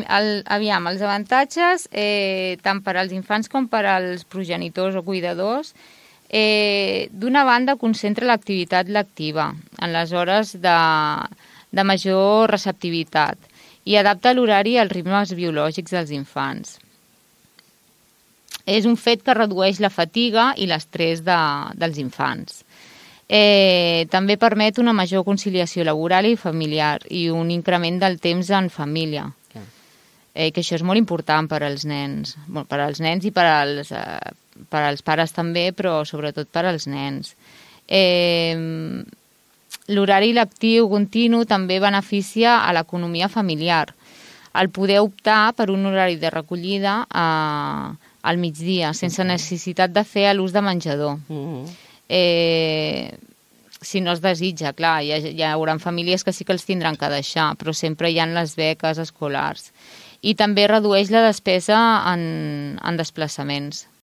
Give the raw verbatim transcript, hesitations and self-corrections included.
el, aviam, els avantatges, eh, tant per als infants com per als progenitors o cuidadors, eh, d'una banda concentra l'activitat lectiva en les hores de, de major receptivitat i adapta l'horari als ritmes biològics dels infants. És un fet que redueix la fatiga i l'estrès de, dels infants. Eh, també permet una major conciliació laboral i familiar i un increment del temps en família, eh, que això és molt important per als nens, bueno, per als nens i per als, eh, per als pares també, però sobretot per als nens. Eh, L'horari lectiu continu també beneficia a l'economia familiar. El poder optar per un horari de recollida a, al migdia, sense necessitat de fer l'ús de menjador. Mm-hmm. Eh, si no es desitja, clar, hi, ha, hi haurà famílies que sí que els tindran que deixar, però sempre hi ha les beques escolars. I també redueix la despesa en, en desplaçaments.